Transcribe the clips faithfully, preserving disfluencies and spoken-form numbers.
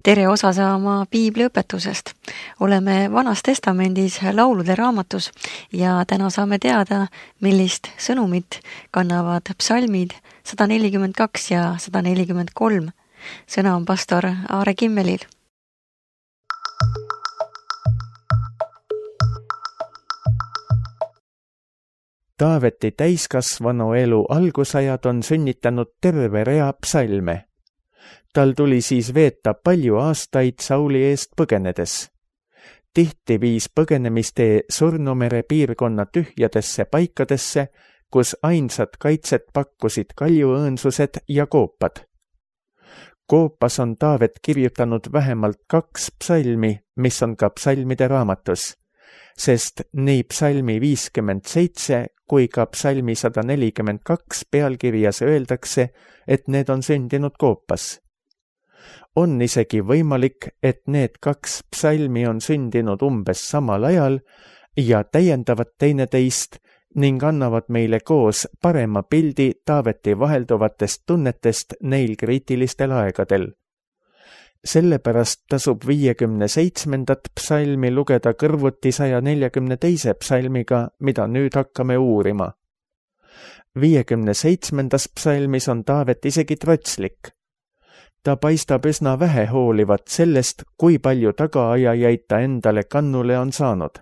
tere osa saama piibliõpetusest. Oleme Vanas Testamendis laulude raamatus ja täna saame teada, millist sõnumit kannavad psalmid sada nelikümmend kaks ja sada nelikümmend kolm. Sõna on pastor Aare Kimmelil. Taaveti täiskasvanu elu algusajad on sünnitanud terve rea psalme. Tal tuli siis veeta palju aastaid Sauli eest põgenedes. Tihti viis põgenemistee Surnumere piirkonna tühjadesse paikadesse, kus ainsad kaitset pakkusid kaljuõõnsused ja koopad. Koopas on Taavet kirjutanud vähemalt kaks psalmi, mis on ka psalmide raamatus, sest nii psalmi viiskümmend seitse kui ka psalmi sada nelikümmend kaks pealkirjas öeldakse, et need on sündinud Koopas. On isegi võimalik, et need kaks psalmi on sündinud umbes samal ajal ja täiendavad teineteist ning annavad meile koos parema pildi Taaveti vahelduvatest tunnetest neil kriitilistel aegadel. Sellepärast tasub viiekümne seitsmendat psalmi lugeda kõrvuti saja neljakümne teise psalmiga, mida nüüd hakkame uurima. viiekümne seitsmendas psalmis on Taavet isegi trotslik. Ta paistab üsna vähe hoolivat sellest, kui palju tagaajajaid ta endale kannule on saanud.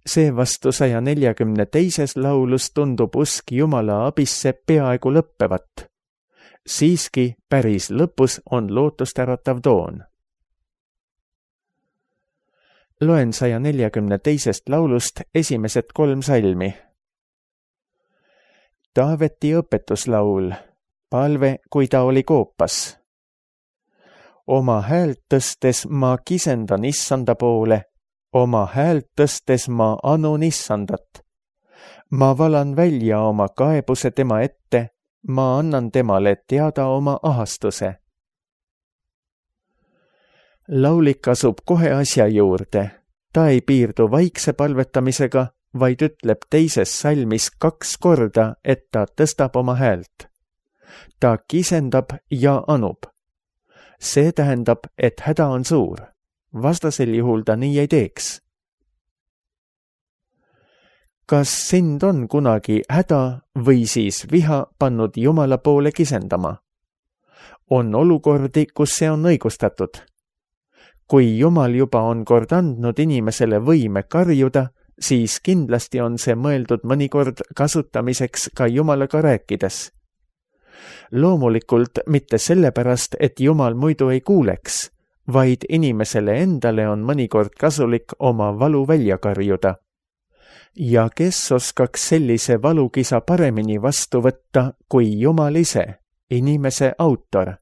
Seevastu saja neljakümne teises laulus tundub usk Jumala abisse peaaegu lõppevat. Siiski päris lõpus on lootustäratav toon. Loen saja neljakümne teisest laulust esimesed kolm salmi. Taaveti õpetuslaul, palve, kui ta oli Koopas. Oma häält tõstes ma kisendan issanda poole, oma häält tõstes ma anun issandat. Ma valan välja oma kaebuse tema ette, ma annan temale teada oma ahastuse. Laulik asub kohe asja juurde. Ta ei piirdu vaikse palvetamisega, vaid ütleb teises salmis kaks korda, et ta tõstab oma häält. Ta kisendab ja anub. See tähendab, et häda on suur. Vastasel juhul ta nii ei teeks. Kas sind on kunagi häda või siis viha pannud Jumala poole kisendama? On olukordi, kus see on õigustatud. Kui Jumal juba on kord andnud inimesele võime karjuda, siis kindlasti on see mõeldud mõnikord kasutamiseks ka Jumalaga rääkides. Loomulikult mitte sellepärast, et Jumal muidu ei kuuleks, vaid inimesele endale on mõnikord kasulik oma valu välja karjuda. Ja kes oskaks sellise valukisa paremini vastu võtta kui Jumal ise, inimese autor?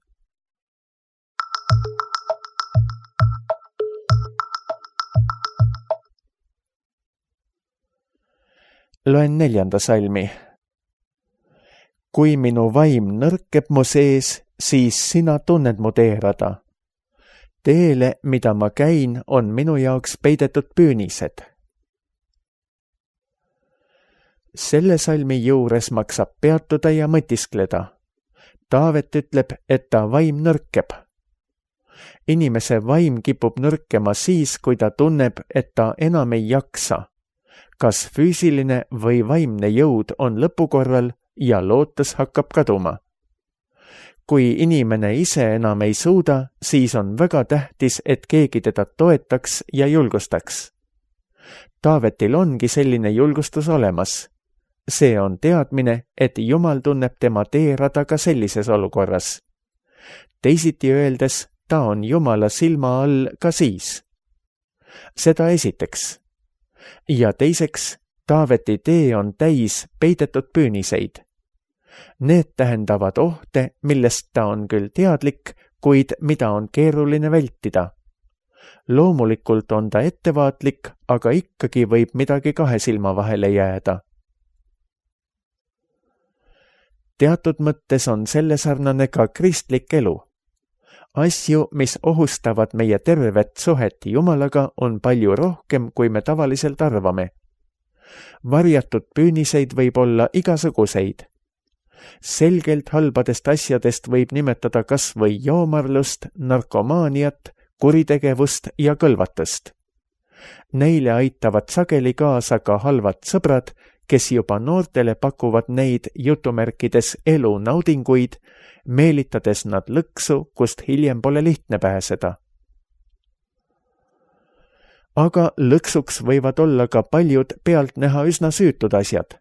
Loen neljanda salmi. Kui minu vaim nõrkeb mu sees, siis sina tunned mu teerada. Teele, mida ma käin, on minu jaoks peidetud püünised. Selle salmi juures maksab peatuda ja mõtiskleda. Taavet ütleb, et ta vaim nõrkeb. Inimese vaim kipub nõrkema siis, kui ta tunneb, et ta enam ei jaksa. Kas füüsiline või vaimne jõud on lõpukorral ja lootus hakkab kaduma. Kui inimene ise enam ei suuda, siis on väga tähtis, et keegi teda toetaks ja julgustaks. Taavetil ongi selline julgustus olemas. See on teadmine, et Jumal tunneb tema teerada ka sellises olukorras. Teisiti öeldes, ta on Jumala silma all ka siis. Seda esiteks. Ja teiseks, Taaveti tee on täis peidetud püüniseid. Need tähendavad ohte, millest ta on küll teadlik, kuid mida on keeruline vältida. Loomulikult on ta ettevaatlik, aga ikkagi võib midagi kahe silma vahele jääda. Teatud mõttes on selle sarnane ka kristlik elu. Asju, mis ohustavad meie tervet suhet Jumalaga, on palju rohkem, kui me tavaliselt arvame. Varjatud püüniseid võib olla igasuguseid. selgelt halbadest asjadest võib nimetada kas või joomarlust, narkomaaniat, kuritegevust ja kõlvatust. Neile aitavad sageli kaasa ka halvad sõbrad, kes juba noortele pakuvad neid jutumärkides elunaudinguid, meelitades nad lõksu, kust hiljem pole lihtne pääseda. Aga lõksuks võivad olla ka paljud pealt näha üsna süütud asjad.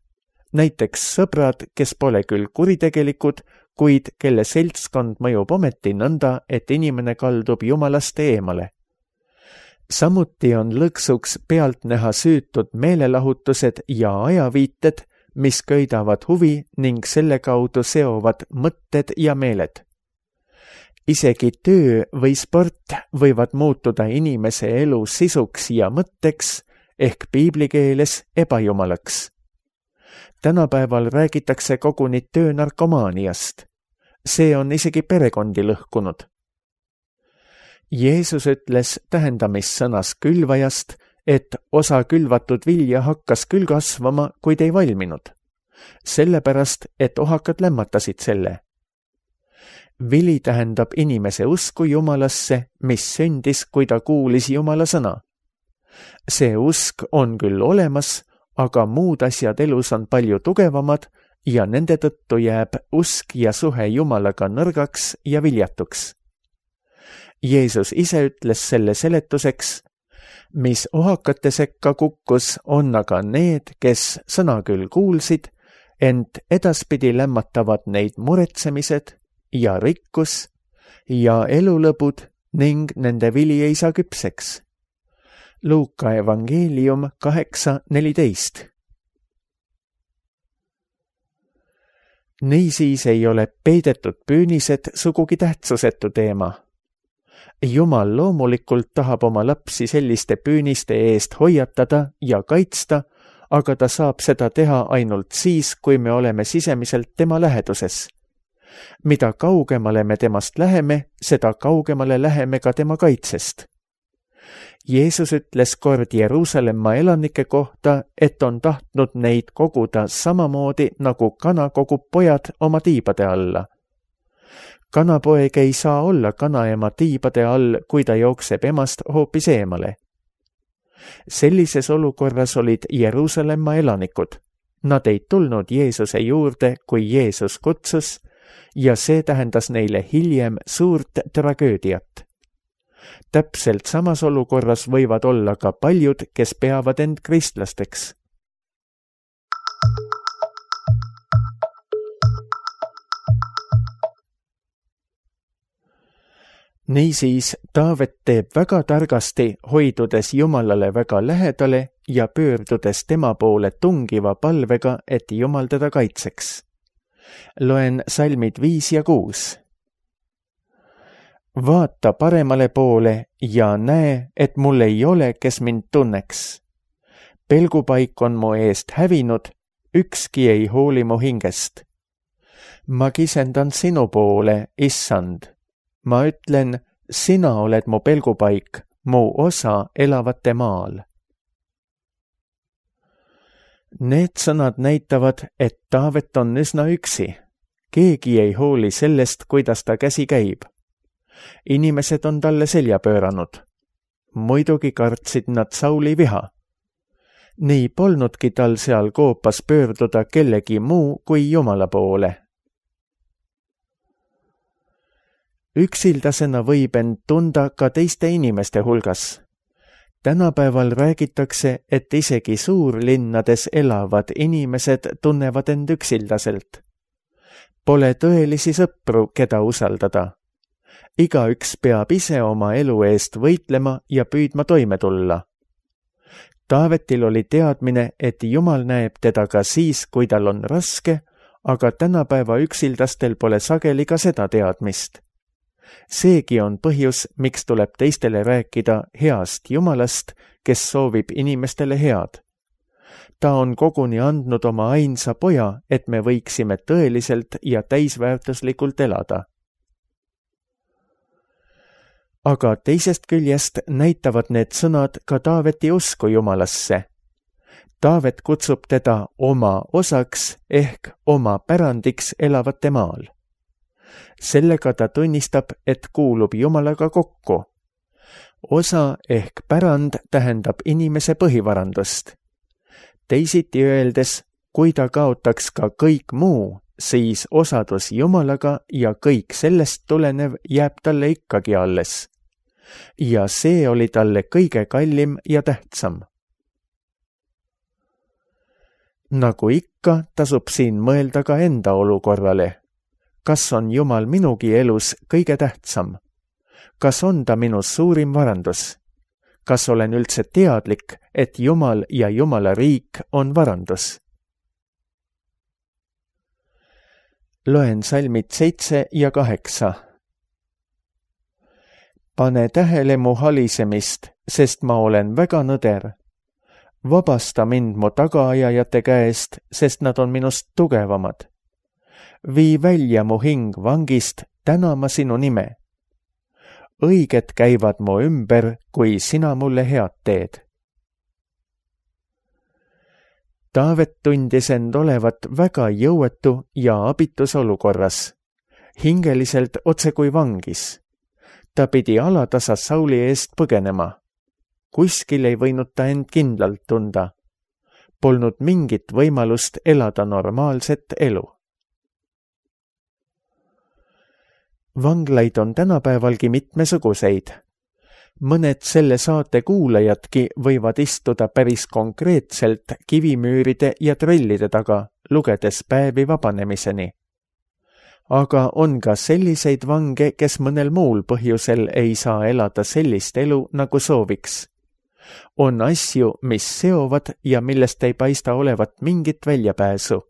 Näiteks sõbrad, kes pole küll kuritegelikud, kuid kelle seltskond mõjub ometi nõnda, et inimene kaldub jumalast eemale. Samuti on lõksuks pealt näha süütud meelelahutused ja ajaviited, mis köidavad huvi ning selle kaudu seovad mõtted ja meeled. Isegi töö või sport võivad muutuda inimese elu sisuks ja mõtteks ehk piiblikeeles ebajumalaks. Tänapäeval räägitakse koguni töönarkomaaniast. See on isegi perekondi lõhkunud. Jeesus ütles tähendamissõnas külvajast, et osa külvatud vilja hakkas küll kasvama, kuid ei valminud. Sellepärast, et ohakad lämmatasid selle. Vili tähendab inimese usku Jumalasse, mis sündis, kui ta kuulis Jumala sõna. See usk on küll olemas, aga muud asjad elus on palju tugevamad ja nende tõttu jääb usk ja suhe Jumalaga nõrgaks ja viljatuks. Jeesus ise ütles selle seletuseks, mis ohakate sekka kukkus, on aga need, kes sõna küll kuulsid, ent edaspidi lämmatavad neid muretsemised ja rikkus ja elulõbud ning nende vili ei saa küpseks. Luuka evangeelium kaheksa neliteist. Niisiis ei ole peidetud püünised sugugi tähtsusetu teema. Jumal loomulikult tahab oma lapsi selliste püüniste eest hoiatada ja kaitsta, aga ta saab seda teha ainult siis, kui me oleme sisemiselt tema läheduses. Mida kaugemale me temast läheme, seda kaugemale läheme ka tema kaitsest. Jeesus ütles kord Jeruusalemma elanike kohta, et on tahtnud neid koguda samamoodi, nagu kana kogub pojad oma tiibade alla. Kanapoeg ei saa olla kanaema tiibade all, kui ta jookseb emast hoopis eemale. Sellises olukorras olid Jeruusalemma elanikud. Nad ei tulnud Jeesuse juurde, kui Jeesus kutsus, ja see tähendas neile hiljem suurt tragöödiat. Täpselt samas olukorras võivad olla ka paljud, kes peavad end kristlasteks. Niisiis, Taavet teeb väga targasti, hoidudes Jumalale väga lähedale ja pöördudes tema poole tungiva palvega, et Jumal teda kaitseks. Loen salmid viis ja kuus. Vaata paremale poole ja näe, et mul ei ole, kes mind tunneks. Pelgupaik on mu eest hävinud, ükski ei hooli mu hingest. Ma kisendan sinu poole, issand. Ma ütlen, sina oled mu pelgupaik, mu osa elavate maal. Need sõnad näitavad, et Taavet on üsna üksi. Keegi ei hooli sellest, kuidas ta käsi käib. Inimesed on talle selja pööranud. Muidugi kartsid nad Sauli viha. Nii polnudki tal seal koopas pöörduda kellegi muu kui Jumala poole. Üksildasena võib end tunda ka teiste inimeste hulgas. Tänapäeval räägitakse, et isegi suurlinnades elavad inimesed tunnevad end üksildaselt. Pole tõelisi sõpru, keda usaldada. Igaüks peab ise oma elu eest võitlema ja püüdma toime tulla. Taavetil oli teadmine, et Jumal näeb teda ka siis, kui tal on raske, aga tänapäeva üksildastel pole sageli ka seda teadmist. Seegi on põhjus, miks tuleb teistele rääkida heast Jumalast, kes soovib inimestele head. Ta on koguni andnud oma ainsa poja, et me võiksime tõeliselt ja täisväärtuslikult elada. Aga teisest küljest näitavad need sõnad ka Taaveti usku Jumalasse. Taavet kutsub teda oma osaks ehk oma pärandiks elavate maal. Sellega ta tunnistab, et kuulub Jumalaga kokku. Osa ehk pärand tähendab inimese põhivarandust. Teisiti öeldes, kui ta kaotaks ka kõik muu, siis osadus Jumalaga ja kõik sellest tulenev jääb talle ikkagi alles. Ja see oli talle kõige kallim ja tähtsam. Nagu ikka, tasub siin mõelda ka enda olukorrale. Kas on Jumal minugi elus kõige tähtsam? Kas on ta minu suurim varandus? Kas olen üldse teadlik, et Jumal ja Jumala riik on varandus? Loen salmid seitse ja kaheksa. Pane tähele mu halisemist, sest ma olen väga nõder. Vabasta mind mu tagaajajate käest, sest nad on minust tugevamad. Vii välja mu hing vangist, täna ma sinu nime. Õiged käivad mu ümber, kui sina mulle head teed. Taavet tundis end olevat väga jõuetu ja abitus olukorras. Hingeliselt otse kui vangis. Ta pidi alatasa Sauli eest põgenema. Kuskil ei võinud ta end kindlalt tunda. Polnud mingit võimalust elada normaalset elu. Vanglaid on tänapäevalgi mitmesuguseid. Mõned selle saate kuulajadki võivad istuda päris konkreetselt kivimüüride ja trellide taga, lugedes päevi vabanemiseni. Aga on ka selliseid vange, kes mõnel muul põhjusel ei saa elada sellist elu, nagu sooviks. On asju, mis seovad ja millest ei paista olevat mingit väljapääsu.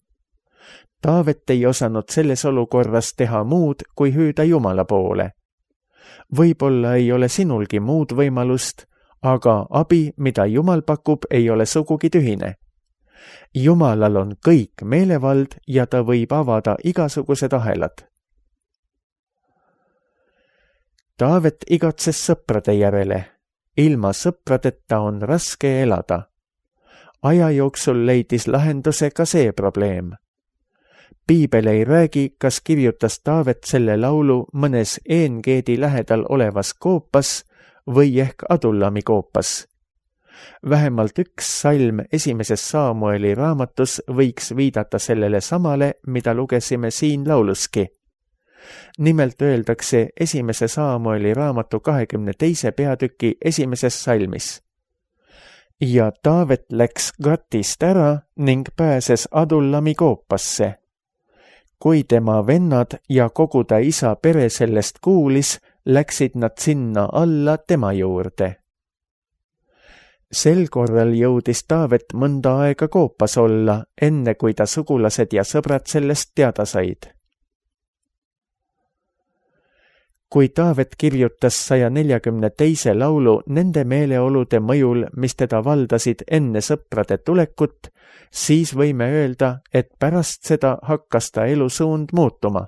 Taavet ei osanud selles olukorras teha muud, kui hüüda Jumala poole. Võib-olla ei ole sinulgi muud võimalust, aga abi, mida Jumal pakub, ei ole sugugi tühine. Jumalal on kõik meelevald ja ta võib avada igasugused ahelad. Taavet igatses sõprade järele. Ilma sõpradeta on raske elada. Aja jooksul leidis lahenduse ka see probleem. Piibel ei räägi, kas kirjutas Taavet selle laulu mõnes Eengeedi lähedal olevas koopas või ehk Adullami koopas. Vähemalt üks salm esimeses Saamueli raamatus võiks viidata sellele samale, mida lugesime siin lauluski. Nimelt öeldakse esimese Saamueli raamatu kahekümne teise peatüki esimeses salmis. Ja Taavet läks Gatist ära ning pääses Adullami koopasse. Kui tema vennad ja kogu ta isa pere sellest kuulis, läksid nad sinna alla tema juurde. Sel korral jõudis Taavet mõnda aega koopas olla, enne kui ta sugulased ja sõbrad sellest teada said. Kui Taavet kirjutas saja neljakümne teise laulu nende meeleolude mõjul, mis teda valdasid enne sõprade tulekut, siis võime öelda, et pärast seda hakkas ta elusuund muutuma.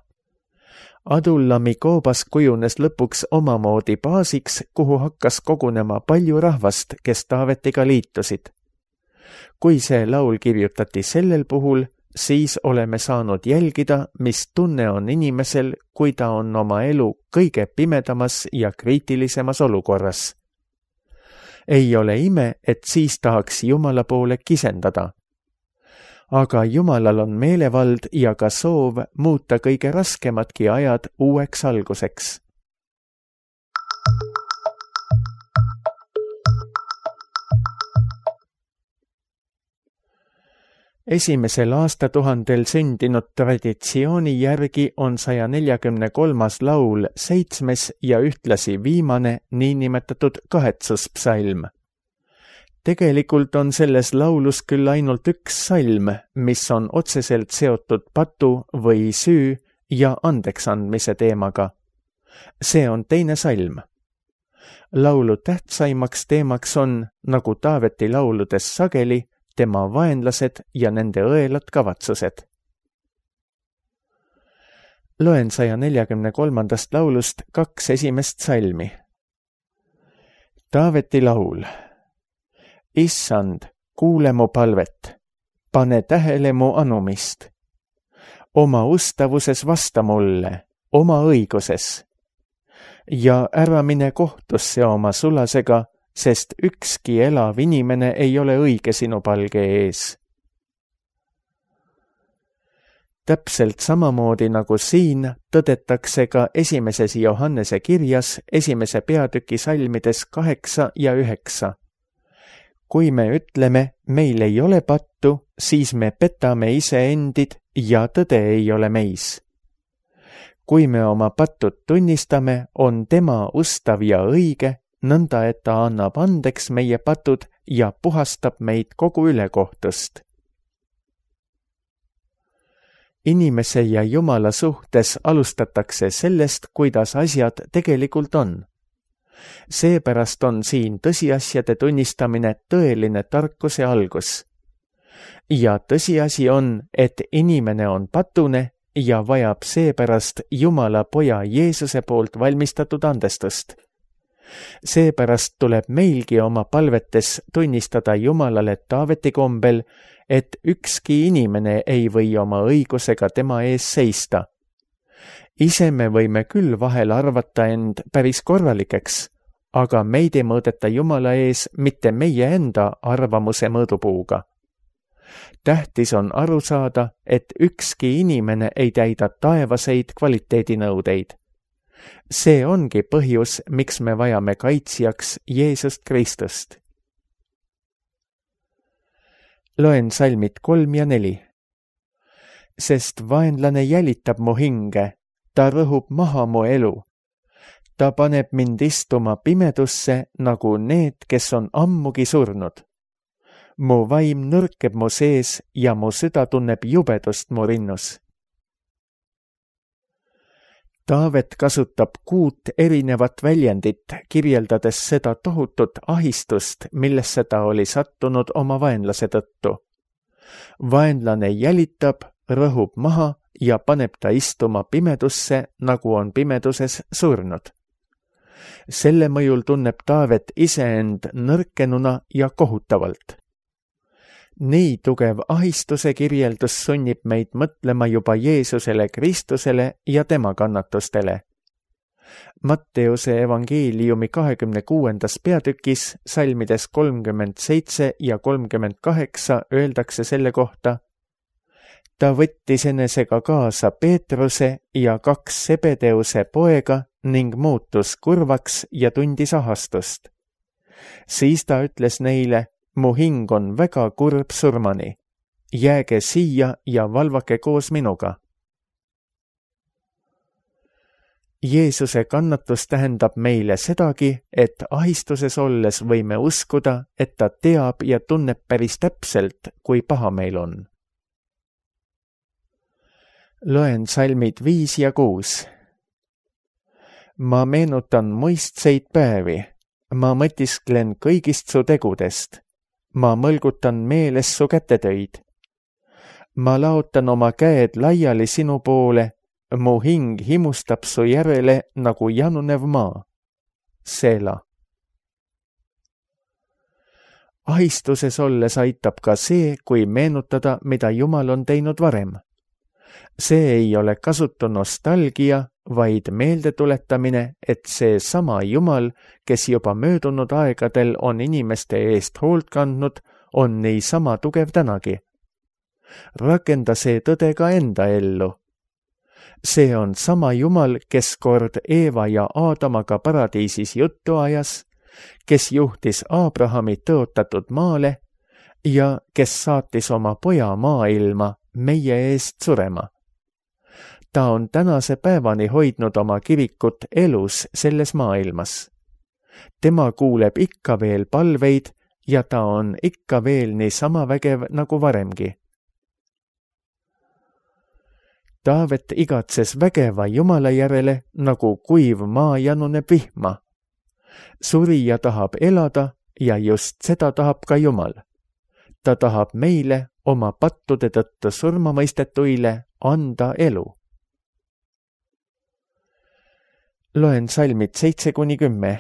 Adullami koobas kujunes lõpuks omamoodi baasiks, kuhu hakkas kogunema palju rahvast, kes Taavetiga liitusid. Kui see laul kirjutati sellel puhul, siis oleme saanud jälgida, mis tunne on inimesel, kui ta on oma elu kõige pimedamas ja kriitilisemas olukorras. Ei ole ime, et siis tahaks Jumala poole kisendada. Aga Jumalal on meelevald ja ka soov muuta kõige raskemadki ajad uueks alguseks. Esimesel aastatuhandel sündinud traditsiooni järgi on saja neljakümne kolmas laul seitsmes ja ühtlasi viimane niinimetatud kahetsuspsalm. Tegelikult on selles laulus küll ainult üks salm, mis on otseselt seotud patu või süü ja andeksandmise teemaga. See on teine salm. Laulu tähtsaimaks teemaks on, nagu Taaveti lauludes sageli, tema vaenlased ja nende õelad kavatsused. Loen saja neljakümne kolmandast laulust kaks esimest salmi. Taaveti laul. Issand, kuule mu palvet, pane tähele mu anumist. Oma ustavuses vasta mulle, oma õiguses. Ja ära mine kohtusse oma sulasega, sest ükski elav inimene ei ole õige sinu palge ees. Täpselt samamoodi nagu siin tõdetakse ka esimeses Johannese kirjas esimese peatüki salmides kaheksa ja üheksa. Kui me ütleme, meil ei ole pattu, siis me petame iseendid ja tõde ei ole meis. Kui me oma pattud tunnistame, on tema ustav ja õige, nõnda et ta annab andeks meie patud ja puhastab meid kogu ülekohtust. Inimese ja Jumala suhtes alustatakse sellest, kuidas asjad tegelikult on. Seepärast on siin tõsiasjade tunnistamine tõeline tarkuse algus. Ja tõsiasi on, et inimene on patune ja vajab seepärast Jumala poja Jeesuse poolt valmistatud andestust. Seepärast tuleb meilgi oma palvetes tunnistada Jumalale Taaveti kombel, et ükski inimene ei või oma õigusega tema ees seista. Ise me võime küll vahel arvata end päris korralikeks, aga meid ei mõõdeta Jumala ees mitte meie enda arvamuse mõõdupuuga. Tähtis on aru saada, et ükski inimene ei täida taevaseid kvaliteedinõudeid. See ongi põhjus, miks me vajame kaitsjaks Jeesust Kristust. Loen salmid kolm ja neli. Sest vaenlane jälitab mu hinge, ta rõhub maha mu elu. Ta paneb mind istuma pimedusse nagu need, kes on ammugi surnud. Mu vaim nõrkeb mu sees ja mu süda tunneb jubedust mu rinnus. Taavet kasutab kuut erinevat väljendit, kirjeldades seda tohutut ahistust, millesse ta oli sattunud oma vaenlase tõttu. Vaenlane jälitab, rõhub maha ja paneb ta istuma pimedusse, nagu on pimeduses surnud. Selle mõjul tunneb Taavet iseend nõrkenuna ja kohutavalt. Nii tugev ahistuse kirjeldus sunnib meid mõtlema juba Jeesusele Kristusele ja tema kannatustele. Matteuse evangeeliumi kahekümne kuuendas peatükis salmides kolmkümmend seitse ja kolmkümmend kaheksa öeldakse selle kohta: ta võttis enesega kaasa Peetruse ja kaks Sebedeuse poega ning muutus kurvaks ja tundis ahastust. Siis ta ütles neile: mu hing on väga kurb surmani. Jääge siia ja valvake koos minuga. Jeesuse kannatus tähendab meile sedagi, et ahistuses olles võime uskuda, et ta teab ja tunneb päris täpselt, kui paha meil on. Loen salmid viis ja kuus. Ma meenutan muistseid päevi. Ma mõtisklen kõigist su tegudest. Ma mõlgutan meeles su kätetöid. Ma laotan oma käed laiali sinu poole, mu hing himustab su järele nagu janunev maa. Seela. Ahistuses olles aitab ka see, kui meenutada, mida Jumal on teinud varem. See ei ole kasutu nostalgia, vaid meeldetuletamine, et see sama Jumal, kes juba möödunud aegadel on inimeste eest hoolt kandnud, on niisama tugev tänagi. Rakenda see tõde ka enda ellu. See on sama Jumal, kes kord Eeva ja Aadamaga paradiisis juttu ajas, kes juhtis Abrahami tõotatud maale ja kes saatis oma poja maailma meie eest surema. Ta on tänase päevani hoidnud oma kirikut elus selles maailmas. Tema kuuleb ikka veel palveid ja ta on ikka veel nii sama vägev nagu varemgi. Taavet igatses vägeva Jumala järele, nagu kuiv maa januneb vihma. Surija tahab elada ja just seda tahab ka Jumal. Ta tahab meile oma pattude tõttu surmamõistetuile anda elu. Loen salmid seitse kuni kümme.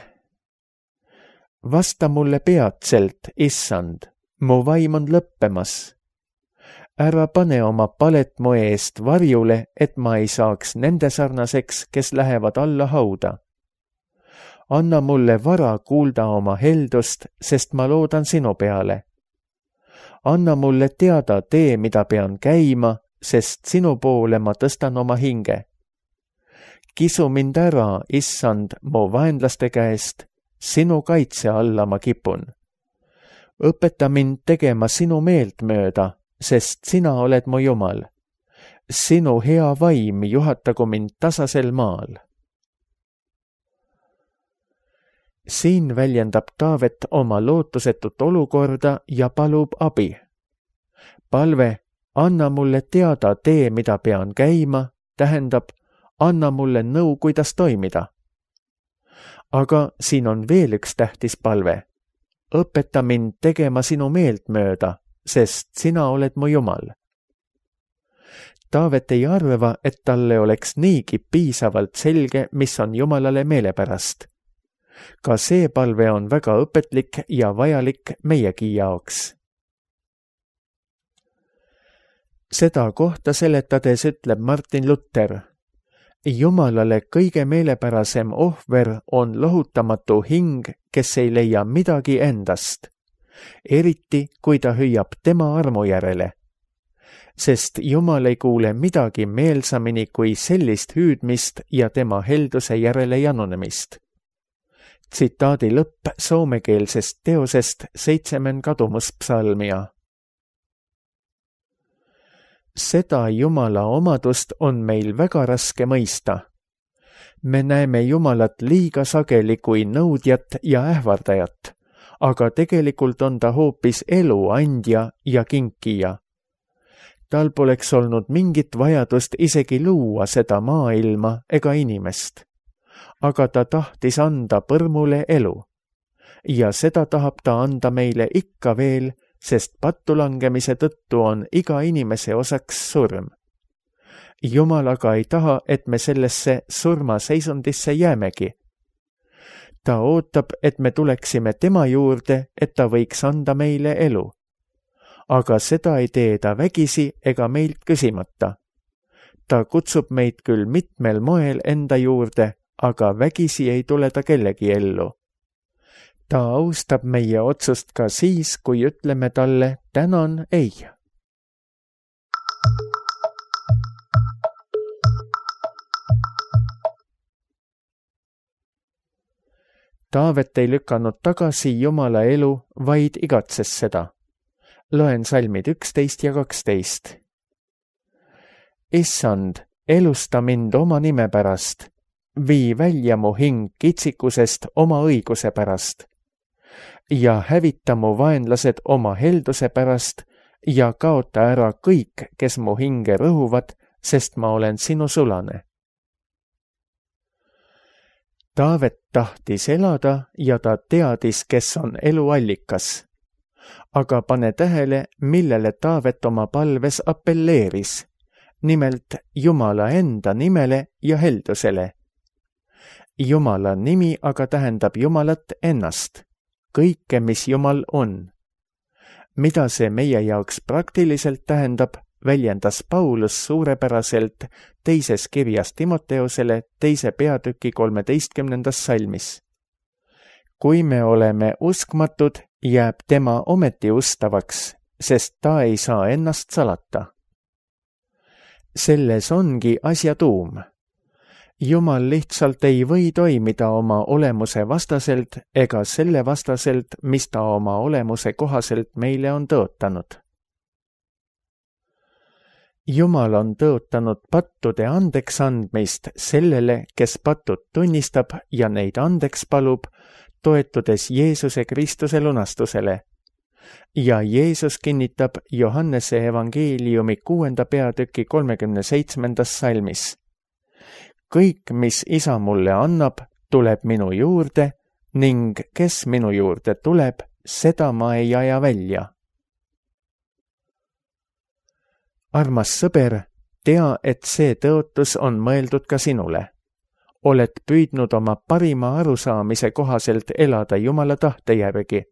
Vasta mulle peatselt, issand, mu vaim on lõppemas. Ära pane oma palet mu eest varjule, et ma ei saaks nende sarnaseks, kes lähevad alla hauda. Anna mulle vara kuulda oma heldust, sest ma loodan sinu peale. Anna mulle teada tee, mida pean käima, sest sinu poole ma tõstan oma hinge. Kisu mind ära, issand, mu vaenlaste käest, sinu kaitse alla ma kipun. Õpeta mind tegema sinu meelt mööda, sest sina oled mu Jumal. Sinu hea vaim juhatagu mind tasasel maal. Siin väljendab Taavet oma lootusetut olukorda ja palub abi. Palve, anna mulle teada tee, mida pean käima, tähendab, anna mulle nõu, kuidas toimida. Aga siin on veel üks tähtis palve. Õpeta mind tegema sinu meelt mööda, sest sina oled mu Jumal. Taavet ei arva, et talle oleks niigi piisavalt selge, mis on Jumalale meelepärast. Ka see palve on väga õpetlik ja vajalik meiegi jaoks. Seda kohta seletades ütleb Martin Luther, Jumalale kõige meelepärasem ohver on lohutamatu hing, kes ei leia midagi endast, eriti kui ta hüüab tema armu järele. Sest Jumal ei kuule midagi meelsamini kui sellist hüüdmist ja tema helduse järele janunemist. Tsitaadi lõpp soomekeelsest teosest Seitsemen kadumuspsalmia. Seda Jumala omadust on meil väga raske mõista. Me näeme Jumalat liiga sageli kui nõudjat ja ähvardajat, aga tegelikult on ta hoopis elu andja ja kinkija. Tal poleks olnud mingit vajadust isegi luua seda maailma ega inimest. Aga ta tahtis anda põrmule elu. Ja seda tahab ta anda meile ikka veel, sest pattulangemise tõttu on iga inimese osaks surm. Jumal aga ei taha, et me sellesse surmaseisundisse jäämegi. Ta ootab, et me tuleksime tema juurde, et ta võiks anda meile elu. Aga seda ei tee ta vägisi ega meilt küsimata. Ta kutsub meid küll mitmel moel enda juurde, aga vägisi ei tule ta kellegi ellu. Ta austab meie otsust ka siis, kui ütleme talle tänan ei. Taavet ei lükanud tagasi Jumala elu, vaid igatses seda. Loen salmid üksteist ja kaksteist. Issand, elusta mind oma nime pärast. Vii välja mu hing kitsikusest oma õiguse pärast. Ja hävita mu vaenlased oma helduse pärast ja kaota ära kõik, kes mu hinge rõhuvad, sest ma olen sinu sulane. Taavet tahtis elada ja ta teadis, kes on elu allikas. Aga pane tähele, millele Taavet oma palves appelleeris, nimelt Jumala enda nimele ja heldusele. Jumala nimi aga tähendab Jumalat ennast, kõike, mis Jumal on. Mida see meie jaoks praktiliselt tähendab, väljendas Paulus suurepäraselt teises kirjas Timoteusele teise peatüki kolmeteistkümnendas salmis. Kui me oleme uskmatud, jääb tema ometi ustavaks, sest ta ei saa ennast salata. Selles ongi asja tuum. Jumal lihtsalt ei või toimida oma olemuse vastaselt ega selle vastaselt, mis ta oma olemuse kohaselt meile on tõotanud. Jumal on tõotanud pattude andeks andmist sellele, kes patud tunnistab ja neid andeks palub, toetudes Jeesuse Kristuse lunastusele. Ja Jeesus kinnitab Johannese evangeeliumi kuuenda peatüki kolmekümne seitsmendas salmis. Kõik, mis isa mulle annab, tuleb minu juurde ning kes minu juurde tuleb, seda ma ei aja välja. Armas sõber, tea, et see tõotus on mõeldud ka sinule. Oled püüdnud oma parima arusaamise kohaselt elada Jumala tahte järgi,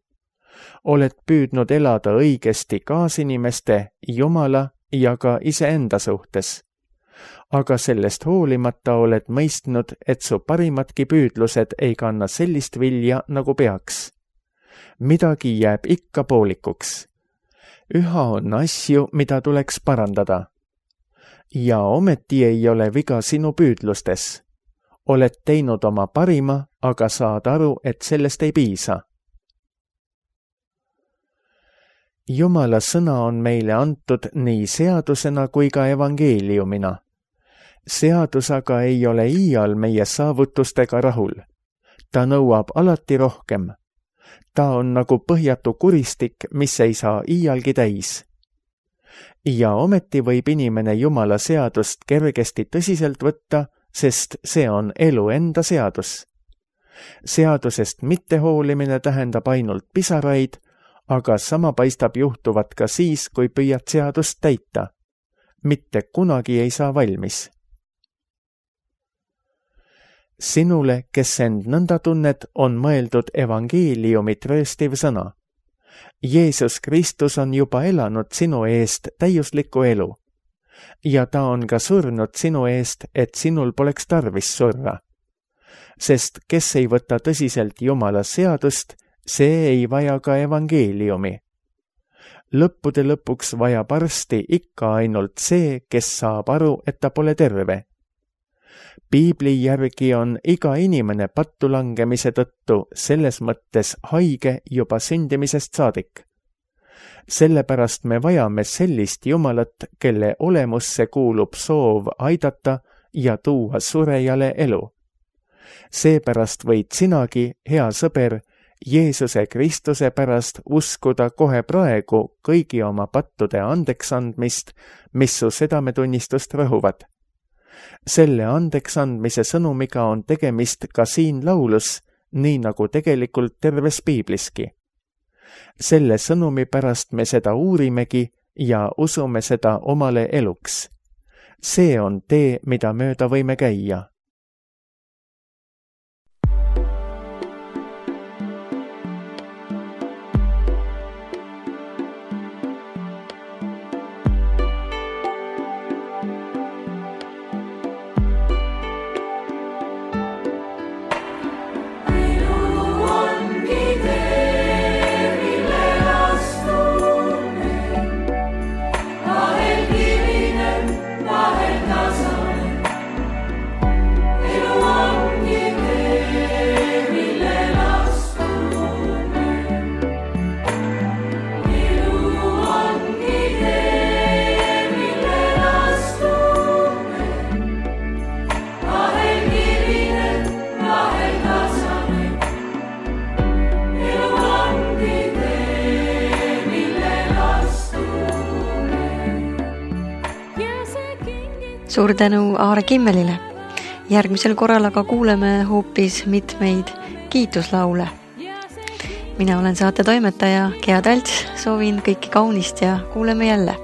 oled püüdnud elada õigesti kaasinimeste, Jumala ja ka iseenda suhtes. Aga sellest hoolimata oled mõistnud, et su parimadki püüdlused ei kanna sellist vilja, nagu peaks. Midagi jääb ikka poolikuks. Üha on asju, mida tuleks parandada. Ja ometi ei ole viga sinu püüdlustes. Oled teinud oma parima, aga saad aru, et sellest ei piisa. Jumala sõna on meile antud nii seadusena kui ka evangeeliumina. Seadus aga ei ole iial meie saavutustega rahul. Ta nõuab alati rohkem. Ta on nagu põhjatu kuristik, mis ei saa iialgi täis. Ja ometi võib inimene Jumala seadust kergesti tõsiselt võtta, sest see on elu enda seadus. Seadusest mittehoolimine tähendab ainult pisaraid, aga sama paistab juhtuvat ka siis, kui püüad seadust täita. Mitte kunagi ei saa valmis. Sinule, kes end nõnda tunned, on mõeldud evangeeliumi trööstiv sõna. Jeesus Kristus on juba elanud sinu eest täiuslikku elu. Ja ta on ka surnud sinu eest, et sinul poleks tarvis surra. Sest kes ei võta tõsiselt Jumala seadust, see ei vaja ka evangeeliumi. Lõppude lõpuks vajab arsti ikka ainult see, kes saab aru, et ta pole terve. Piibli järgi on iga inimene pattu langemise tõttu selles mõttes haige juba sündimisest saadik. Sellepärast me vajame sellist Jumalat, kelle olemusse kuulub soov aidata ja tuua surejale elu. Seepärast võid sinagi, hea sõber, Jeesuse Kristuse pärast uskuda kohe praegu kõigi oma pattude andeksandmist, mis su südametunnistust rõhuvad. Selle andeksandmise sõnumiga on tegemist ka siin laulus, nii nagu tegelikult terves piibliski. Selle sõnumi pärast me seda uurimegi ja usume seda omale eluks. See on tee, mida mööda võime käia. Suur tänu Aare Kimmelile. Järgmisel korral aga kuuleme hoopis mitmeid kiituslaule. Mina olen saate toimetaja Gea Talts, soovin kõiki kaunist ja kuuleme jälle.